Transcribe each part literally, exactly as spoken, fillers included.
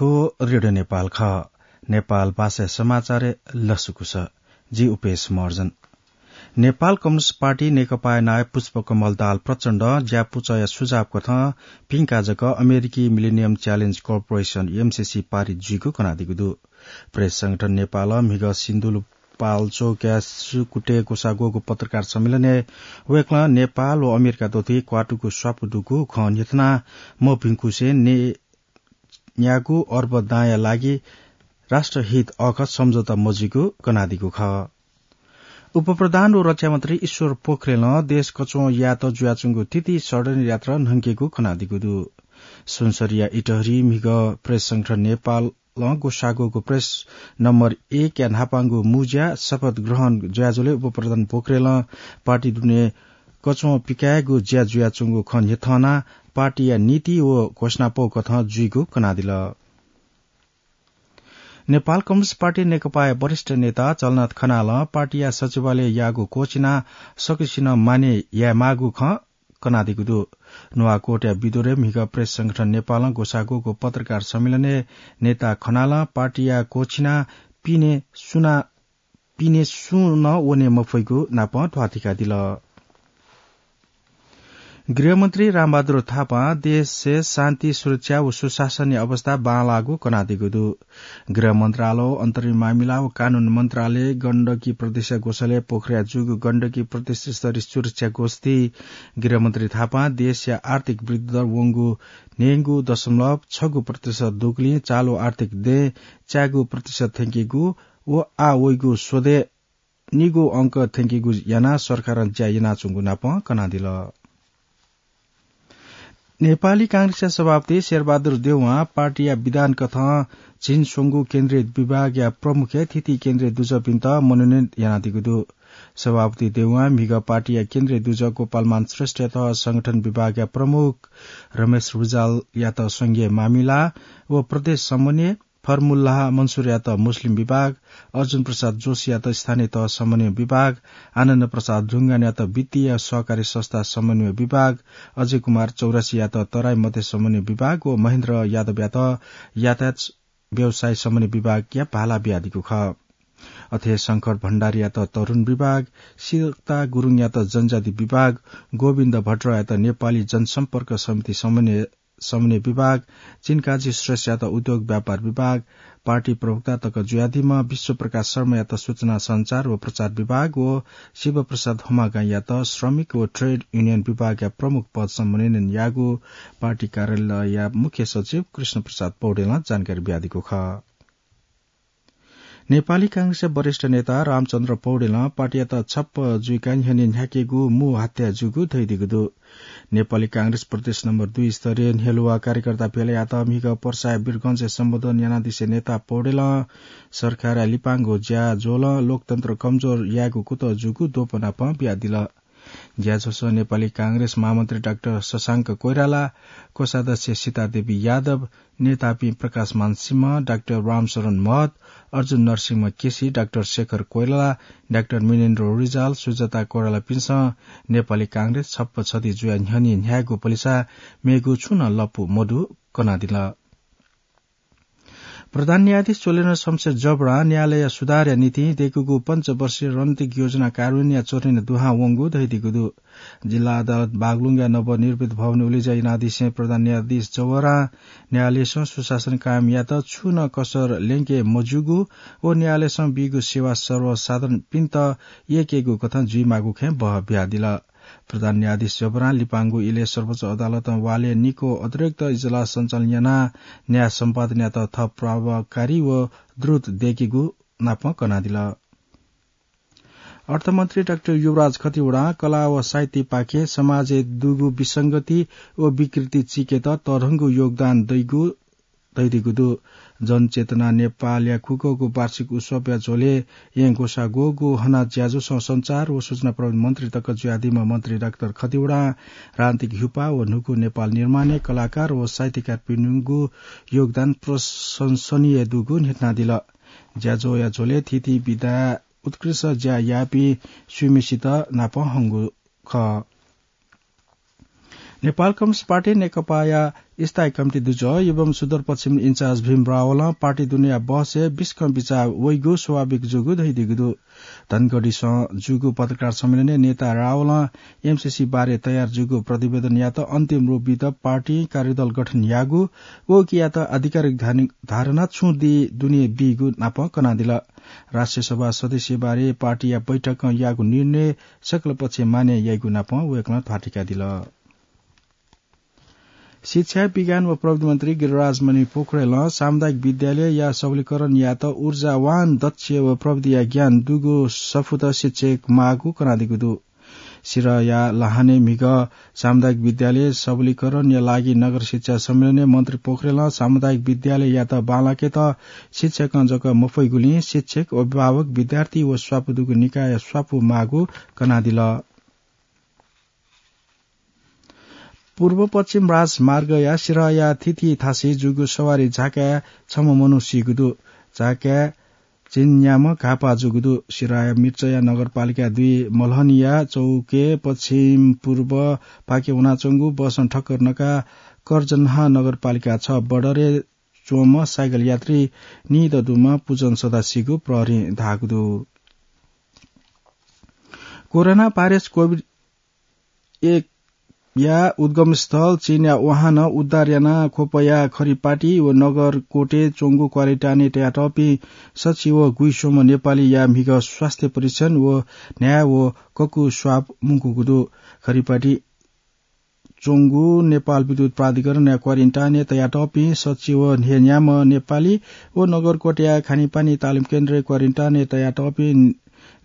रेडियो नेपाल खः। नेपाल भाषा समाचार लसकुस। जि उपेश महर्जन। नेपाल कम्युनिस्ट पार्टी नेकपाया नायः पुष्पकमल दाहाल प्रचण्डं ज्यापुचःया सुझाव कथं पिंका जक अमेरिकी मिलेनियम च्यालेन्ज कर्पोरेसन, एमसीसी, पारित जुइगु कनादीगु दु। प्रेस संगठन नेपालं म्हिगः सिन्धुपाल्चोकया सुकुटे ग्वसाः ग्वःगु पत्रकार सम्मेलनय् वय्कलं नेपाल व अमेरिका दथुइ क्वातुगु स्वापू दुगु खँ न्ह्यथना मभिंकुसे ने न्यागू अर्ब दांया लागि राष्ट्रहित अःखः सम्झौता मजुइगु कनादीगु खः। उपप्रधान व रक्षा मन्त्री ईश्वर पोखरेलं देश कच्वं यायेत जुयाच्वंगु थीथी षड्यन्त्र यात्रा न्हंकेगु कनादीगु दु। सुनसरीया इटहरी म्हिगः प्रेस संगठन नेपालं ग्वसाः ग्वःगु प्रेस नम्बर एकया न्हापांगु मुँज्या शपथ ग्रहण जुयाजुलय् उपप्रधान पोखरेलं पार्टी दुने कच्वं पिकायेगु ज्या जुयाच्वंगु खँ न्ह्यथनाः पार्टीया नीति व घोषणापौ कथं जुइगु कनादिल। नेपाल कम्युनिस्ट पार्टी नेकपाया वरिष्ठ नेता झलनाथ खनालं पार्टीया सचिवालय याःगु क्वःछिनाः सकसिनं माने यायेमाःगु खँ कनादीगु दु। नुवाकोटया बिदुरय् म्हिगः प्रेस संगठन नेपालं ग्वसाः ग्वःगु पत्रकार सम्मेलनय् नेता खनालं पार्टीया क्वःछिनाः पिने सुना पिने सुं नं वने मफइगु नापं ध्वाथुइकादिल। गृहमन्त्री रामबहादुर थापां देशय् शान्ति, सुरक्षा व सुशासनया अवस्था बांलाःगु कनादीगु दु। गृह मन्त्रालय, अन्तरिम मामिला व कानून मन्त्रालय, गण्डकी प्रदेशया ग्वसालय् पोखराया जूगु गण्डकी प्रदेश स्तरीय सुरक्षा गोष्ठी गृहमन्त्री थापां देशया आर्थिक वृद्धि दर वंगु न्हय्गू दशमलव छगू प्रतिशत दुगुलिं चालु आर्थिक दँय् च्यागू प्रतिशत थ्यंकेगु व आः वइगु स्वदँय् निगू अंक थ्यंकेगु यानाः सरकारं ज्या यानाच्वंगु नापं कनादिल। नेपाली कांग्रेसया सभापति शेरबहादुर देउवां पार्टीया विधान कथं झिंस्वंगू केन्द्रीय विभागया प्रमुखय् थीथी केन्द्रीय दुजःपिन्त मनोनयन यानादीगु दु। सभापति देउवां म्हिगः पार्टीया केन्द्रीय दुजः गोपालमान श्रेष्ठयात संगठन विभागया प्रमुख, रमेश रिजालयात संघीय मामिला व प्रदेश समन्वय, फरमुल्लाह मन्सुरयात मुस्लिम विभाग, अर्जुन प्रसाद जोशीयात स्थानीय तह समन्वय विभाग, आनन्द प्रसाद ढुङ्गानयात वित्तीय सहकारी संस्था समन्वय विभाग, अजय कुमार चौरसियात तराई मध्य समन्वय विभाग व महेन्द्र यादवयात यातायात व्यवसाय समन्वय विभागया भाला बियादीगु खः। अथे शंकर भण्डारीयात तरुण विभाग, सीता गुरुङयात जनजाति विभाग, गोविन्द भट्टराईयात नेपाली जनसम्पर्क समिति समन्वय समन्वय विभाग, चिनकाजी श्रेष्ठयात उद्योग व्यापार विभाग, पार्टी प्रवक्ता तक जुयादीम्ह विश्वप्रकाश शर्मायात सूचना सञ्चार व प्रचार विभाग व शिवप्रसाद हमागाईयात श्रमिक व ट्रेड युनियन विभागया प्रमुख पदसम्म मनोनयन याःगु पार्टी कार्यालयया मुख्य सचिव कृष्णप्रसाद पौडेलं जानकारी बियादीगु खः। नेपाली कांग्रेसया वरिष्ठ नेता रामचन्द्र पौडेलं पार्टीयात छप्प जुइका न्ह्यःने न्ह्याकेगु मू हत्या जूगु धयादीगु दु। नेपाली कांग्रेस प्रदेश नम्बर दुई स्तरीय न्ह्यलुवा कार्यकर्ता भेलायात म्हिगः पर्साया वीरगंजय् सम्बोधन यानादिसे नेता पौडेलं सरकारया लिपांगु ज्याझ्वलं लोकतन्त्र कमजोर यायेगु कुतः जूगु द्वपनापं बियादिल। ज्याझ्वलय् नेपाली कांग्रेस महामन्त्री डाक्टर शशांक कोइराला, कोषाध्यक्ष सीतादेवी यादव, नेतापिं प्रकाशमान सिंह, डाक्टर रामशरण महत, अर्जुन नरसिंह केसी, डाक्टर शेखर कोइराला, डाक्टर मिनेन्द्र रिजाल, सुजाता कोइरालापिन्सं नेपाली कांग्रेस छप्प छधी जुया न्ह्यःने न्ह्यायेगु पलिसा मेगु छुं नं लँपु मदु कनादिल। प्रधान न्यायाधीश चोलेन्द्र शमशेर जबरां न्यायालय सुधारया निंतिं दय्कूगु पञ्चवर्षीय रणनीतिक योजना कार्यान्वयनया चरणय् दुहां वंगु धयादीगु दु। जिल्ला अदालत बागलुङया नवनिर्मित भवन उलेज्या यानादिसें प्रधान न्यायाधीश जबरां न्यायालयसं सुशासन कायम यायेत छुं नं कसर ल्यंके मज्यूगु व न्यायालयसं बीगु सेवा सर्वसाधारणपिन्त यय्केगु कथं जुइमाःगु खँय् बहः बियादिल। प्रधान न्यायाधीश जबरां लिपांगु इलय् सर्वोच्च अदालतं वालय् निक्वः अतिरिक्त इजलास सञ्चालन यानाः न्याय सम्पादनयात थप प्रभावकारी व द्रुत दय्केगु नापं कनादिल। अर्थमन्त्री डाक्टर युवराज खतिवडां कला व साहित्यपाखें समाजय् दुगु विसंगति व विकृति चीकेत तःधंगु योगदान दइगु धयादीगु दु। जनचेतना नेपालया खुगूगु वार्षिक उत्सवया झ्वलय् येँ ग्वसाः ग्वःगु हनाः ज्याझ्वलय् सञ्चार व सूचना प्रविधि मन्त्री तक जुयादीम्ह मन्त्री डाक्टर खतिवडां राजनीतिक ह्युपा व न्हूगु नेपाल निर्माणय् कलाकार व साहित्यकारपिनिगु योगदान प्रशंसनीय दुगु न्ह्यथनादिल। ज्याझ्वःया झ्वलय् थीथी विधाय् उत्कृष्ट ज्या याःपिं स्वम्हेसित नापं हंगु खः। नेपाल कम्युनिस्ट पार्टी नेकपाया स्थायी कमिटी दुजः एवं सुदूरपश्चिम इन्चार्ज भीम रावलं पार्टी दुनेया बहसय् बिस्कं बिचाः वइगु स्वाभाविक जूगु धयादीगु दु। धनगढीसं जूगु पत्रकार सम्मेलनय् नेता रावलं एमसिसी बारे तयार जूगु प्रतिवेदनयात अन्तिम रूप बीत पार्टी कार्यदल गठन याःगु व उकियात आधिकारिक धानि-, धारणा छुं दी दुने बीगु नापं कनादिल। राष्ट्रिय सभा सदस्य बारे पार्टीया बैठकं याःगु निर्णय सकल पक्षय् मान्य याइगु नापं वय्कलं ध्वाथुइकादिल। शिक्षा, विज्ञान व प्रविधि मन्त्री गिरिराज मणि पोखरेलं सामुदायिक विद्यालयया सबलीकरणयात ऊर्जावान, दक्ष व प्रविधिया ज्ञान दुगु सफूत शिक्षक माःगु कनादीगु दु। सिराया लाहानय् म्हिगः सामुदायिक विद्यालय सबलीकरणया लागि नगर शिक्षा सम्मेलनय् मन्त्री पोखरेलं सामुदायिक विद्यालययात बांलाकेत शिक्षकं जक मफइगुलिं शिक्षक, अभिभावक, विद्यार्थी व स्वापू दुगु निकाय स्वापू माःगु कनादिल। पूर्व पश्चिम राजमार्गया सिराया थिथि थासय् जूगु सवारी झाकाय् छम्ह मनू सीगु दु। झाकाय् झिंन्याम्ह घाःपाः जूगु दु। सिराया मिर्चया नगरपालिका दुई मलहनिया चौकय् पश्चिम पूर्व पाखे वनाच्वंगु बसं ठक्कर नकाः कर्जन्हा नगरपालिका छ बडरय् च्वंम्ह साइकल यात्री निदँ दुम्ह पुजन सदां सीगु प्रहरीं धाःगु दु। कोरोना भाइरस कोभिड एक या उद्गम स्थल चीनया वुहानं उद्धार यानाः ख्वपया खरिपाटी व नगरकोटय् च्वंगु क्वारेन्टाइनय् तयातःपिं सच्छि व गुइस्वम्ह नेपालीया म्हिगः स्वास्थ्य परीक्षण व न्हाय् व ककु स्वाब मुंकूगु दु। खरिपाटी च्वंगु नेपाल विद्युत प्राधिकरणया क्वारेन्टाइनय् तयातःपिं सच्छि व न्हय्न्याम्ह नेपाली व नगरकोटया खानेपानी तालिम केन्द्रय् क्वारेन्टाइनय् तयातःपिं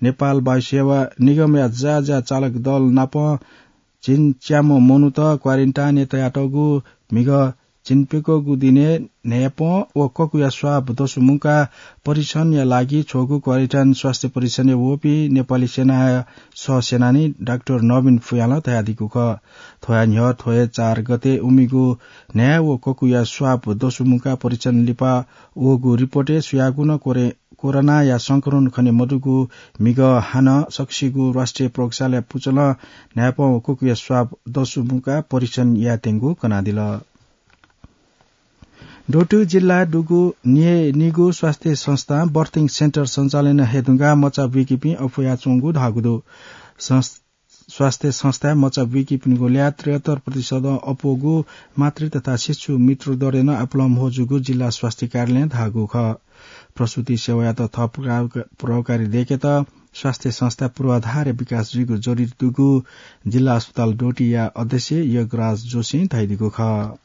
नेपाल वायुसेवा निगमया ज्याझ्या चालक दल नाप झिंच्याम्ह मनूत क्वारेन्टाइनय् तयातःगु म्हिगः झिंप्यक्वःगु दिनय् न्हाय्पं व ककुया स्वाब दसु मुंकाः परीक्षणया लागि छ्वःगु क्वारेन्टाइन स्वास्थ्य परीक्षणय् वःपिं नेपाली सेनाया सहसेनानी डाक्टर नवीन फुयालं धयादीगु खः। थ्वया न्ह्यः थ्व हे चार गते उमिगु न्हाय् व ककुया स्वाब दसु मुंकाः परीक्षण लिपा वःगु रिपोर्टय् सुयागु नं कोरे-, कोरोनाया संक्रमण खने मदुगु म्हिगः हानं सकसिगु राष्ट्रिय प्रयोगशालाय् पुचलं न्हाय्पं व ककुया स्वाब दसु मुंकाः परीक्षण यायेत्यंगु कनादिल। डोटी जिल्लाय् दुगु निगू स्वास्थ्य संस्थां बर्थिङ सेन्टर सञ्चालन हे धुंकाः मचा बुइकीपिं अप्वयाच्वंगु धाःगु दु। संस-, स्वास्थ्य संस्थाय् मचा बुइकीपिनिगु ल्याः त्रिहत्तर प्रतिशतं अप्वःगु मातृ तथा शिशु मृत्यु दरय् नं आपालं म्हो जूगु जिल्ला स्वास्थ्य कार्यालयं धाःगु खः। प्रसूति सेवायात थप प्रभाव-, प्रभावकारी दयेकेत स्वास्थ्य संस्था पूर्वाधारया विकास जुइगु जरुरी दुगु जिल्ला अस्पताल डोटीया अध्यक्ष योगराज जोशीं धयादीगु खः।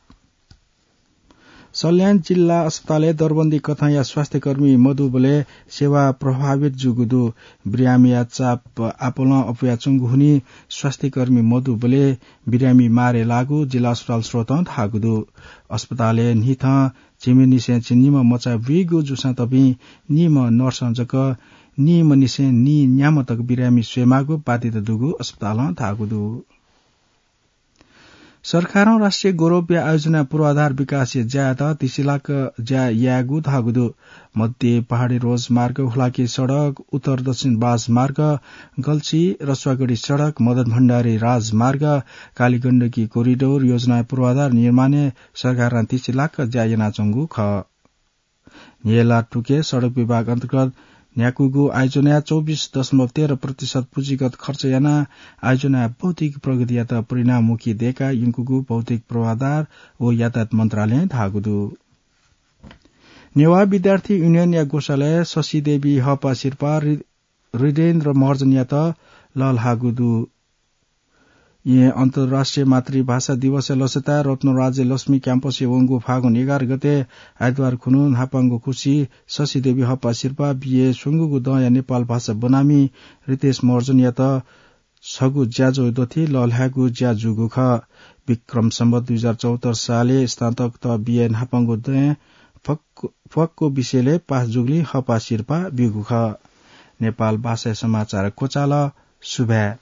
सल्यान जिल्ला अस्पतालय् दरबन्दी कथंया स्वास्थ्यकर्मी मदुबलय् सेवा प्रभावित जूगु दु। बिरामीया चाप आपालं अप्वयाच्वंगु हुनिं स्वास्थ्यकर्मी मदुबलय् बिरामी मारे लाःगु जिल्ला अस्पताल स्रोतं धाःगु दु। अस्पतालय् न्हिथं झिम्हेनिसें झिंनिम्ह मचा बुइगु जूसां तपिं निम्ह नर्सं जक निम्हनिसें नीन्याम्ह तक बिरामी स्वयेमाःगु बाध्यता दुगु अस्पतालं धाःगु दु। सरकारं राष्ट्रिय गौरवया आयोजना पूर्वाधार विकासया ज्यायात तिसिलाक ज्या यायेगु धाःगु दु। मध्य पहाडी रोजमार्ग, हुलाकी सडक, उत्तर दक्षिण बाजमार्ग, गल्छी रसुवागढी सडक, मदन भण्डारी राजमार्ग, कालीगण्डकी कोरिडोर योजना पूर्वाधार निर्माणय् सरकारं तिसिलाक ज्या यानाच्वंगु खः। न्ह्यला तुके सडक विभाग अन्तर्गत न्ह्याकूगु आयोजनाया चौबिस दशमलव तेह्र प्रतिशत पुँजीगत खर्च यानाः आयोजनाया भौतिक प्रगतियात परिणाममुखी दयेकाः यंकूगु भौतिक पूर्वाधार व यातायात मन्त्रालयं धाःगु दु। नेवाः विद्यार्थी युनियनया ग्वसालय् शशिदेवी हःपाः सिरपाः हृ-, हृदेन्द्र महर्जनयात लःल्हाःगु दु। येँ अन्तर्राष्ट्रिय मातृभाषा दिवसय् लसताय् रत्नराज्य लक्ष्मी क्याम्पसय् वंगु फागुन एघार गते आइतबार खुन्हु न्हापांगु खुसि शशिदेवी हःपाः सिरपाः बिए स्वंगूगु दँया नेपाल भाषा बनामी रितेश महर्जनयात छगू ज्याझ्वः दथुइ लःल्हायेगु ज्या जूगु खः। विक्रम सम्वत दुई हजार चौहत्तर सालय् स्नातक तः बिए न्हापांगु दँय् फक्व, फक्व विषयलय् पास जूगुलिं हःपाः सिरपाः ब्यूगु खः। नेपाल भाषाया समाचार क्वचाल। सुभाय्।